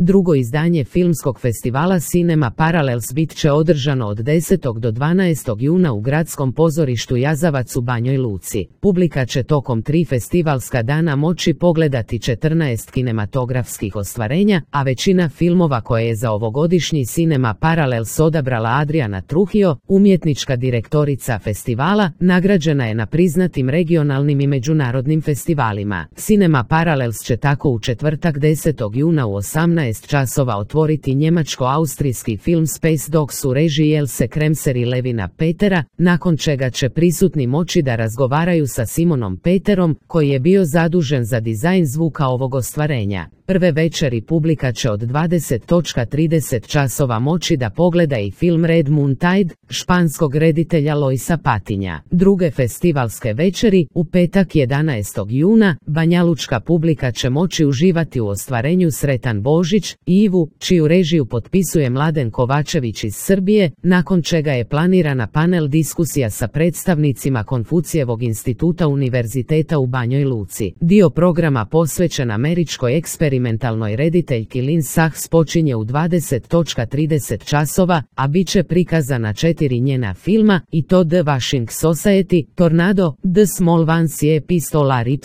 Drugo izdanje filmskog festivala Cinema Parallels bit će održano od 10. do 12. juna u Gradskom pozorištu Jazavac u Banjoj Luci. Publika će tokom 3 festivalska dana moći pogledati 14 kinematografskih ostvarenja, a većina filmova koje je za ovogodišnji Cinema Parallels odabrala Adriana Trujillo, umjetnička direktorica festivala, nagrađena je na priznatim regionalnim i međunarodnim festivalima. Cinema Parallels će tako u četvrtak 10. juna u 18 časova otvoriti njemačko-austrijski film Space Dogs u režiji Else Kremser i Levina Petera, nakon čega će prisutni moći da razgovaraju sa Simonom Peterom, koji je bio zadužen za dizajn zvuka ovog ostvarenja. Prve večeri publika će od 20:30 časova moći da pogleda i film Red Moon Tide, španskog reditelja Loisa Patinja. Druge festivalske večeri, u petak 11. juna, banjalučka publika će moći uživati u ostvarenju Sretan Božić, Ivu, čiju režiju potpisuje Mladen Kovačević iz Srbije, nakon čega je planirana panel diskusija sa predstavnicima Konfucijevog instituta Univerziteta u Banjoj Luci. Dio programa posvećen američkoj eksperimentalnoj rediteljki Lynn Sachs počinje u 20:30 časova, a bit će prikazana 4 njena filma, i to The Washing Society, Tornado, The Small Ones i Epistolar Y,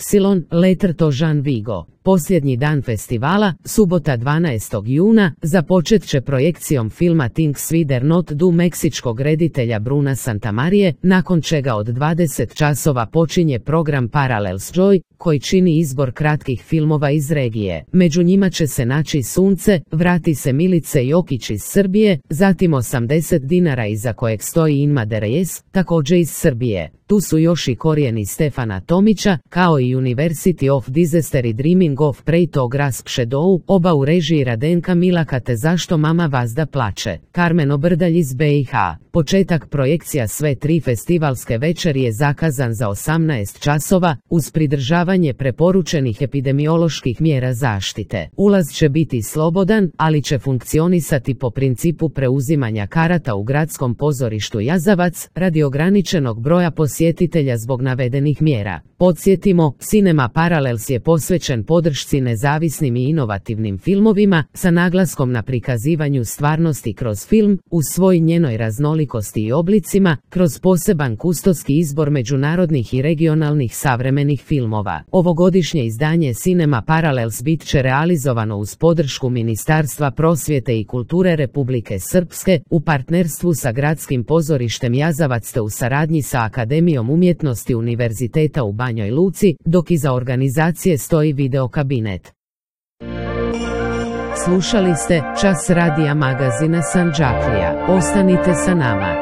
Letter to Jean Vigo. Posljednji dan festivala, subota 12. juna, započet će projekcijom filma Things We Dare Not Do meksičkog reditelja Bruna Santamarije, nakon čega od 20 časova počinje program Parallels Joy, koji čini izbor kratkih filmova iz regije. Među njima će se naći Sunce, Vrati se Milice Jokić iz Srbije, zatim 80 dinara iza kojeg stoji Inma de Reyes, također iz Srbije. Tu su još i Korijeni Stefana Tomića, kao i University of Disaster i Dreaming of Prey to Grasp Shadow, oba u režiji Radenka Milaka te Zašto mama Vazda plače, Karmen Obrdalj iz BiH. Početak projekcija sve 3 festivalske večeri je zakazan za 18 časova, uz pridržavanje preporučenih epidemioloških mjera zaštite. Ulaz će biti slobodan, ali će funkcionisati po principu preuzimanja karata u Gradskom pozorištu Jazavac, radi ograničenog broja posjetitelja zbog navedenih mjera. Podsjetimo, Cinema Parallels je posvećen podršci nezavisnim i inovativnim filmovima, sa naglaskom na prikazivanju stvarnosti kroz film, u svoj njenoj raznolikosti i oblicima, kroz poseban kustoski izbor međunarodnih i regionalnih savremenih filmova. Ovogodišnje izdanje Cinema Parallels bit će realizovano uz podršku Ministarstva prosvjete i kulture Republike Srpske, u partnerstvu sa Gradskim pozorištem Jazavac te u saradnji sa Akademijom umjetnosti Univerziteta u Banjoj Luci, dok iza organizacije stoji video kabinet. Slušali ste Čas radija magazina Sandžaklija. Ostanite sa nama.